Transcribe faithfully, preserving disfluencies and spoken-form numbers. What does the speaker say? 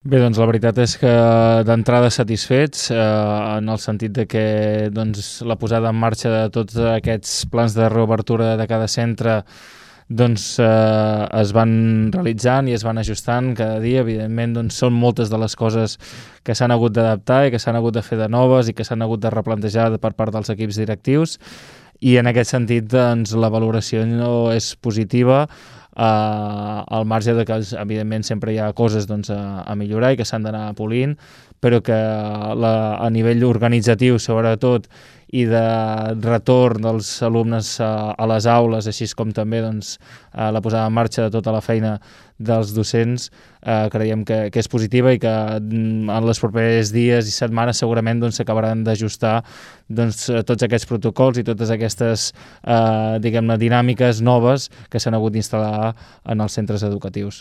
Bé, doncs la veritat és que d'entrada satisfets, eh, en el sentit de que doncs, la posada en marxa de tots aquests plans de reobertura de cada centre doncs, eh, es van realitzant i es van ajustant cada dia. Evidentment, doncs, són moltes de les coses que s'han hagut d'adaptar i que s'han hagut de fer de noves i que s'han hagut de replantejar per part dels equips directius, i en aquest sentit doncs, la valoració no és positiva, eh, al marge de que evidentment sempre hi ha coses doncs, a, a millorar i que s'han d'anar polint, però que la, a nivell organitzatiu sobretot i de retorn dels alumnes a, a les aules, així com també doncs, a la posada en marxa de tota la feina dels docents, eh, creiem que, que és positiva i que en els propers dies i setmanes segurament doncs, s'acabaran d'ajustar doncs, tots aquests protocols i totes aquestes eh, diguem-ne dinàmiques noves que s'han hagut d'instal·lar en els centres educatius.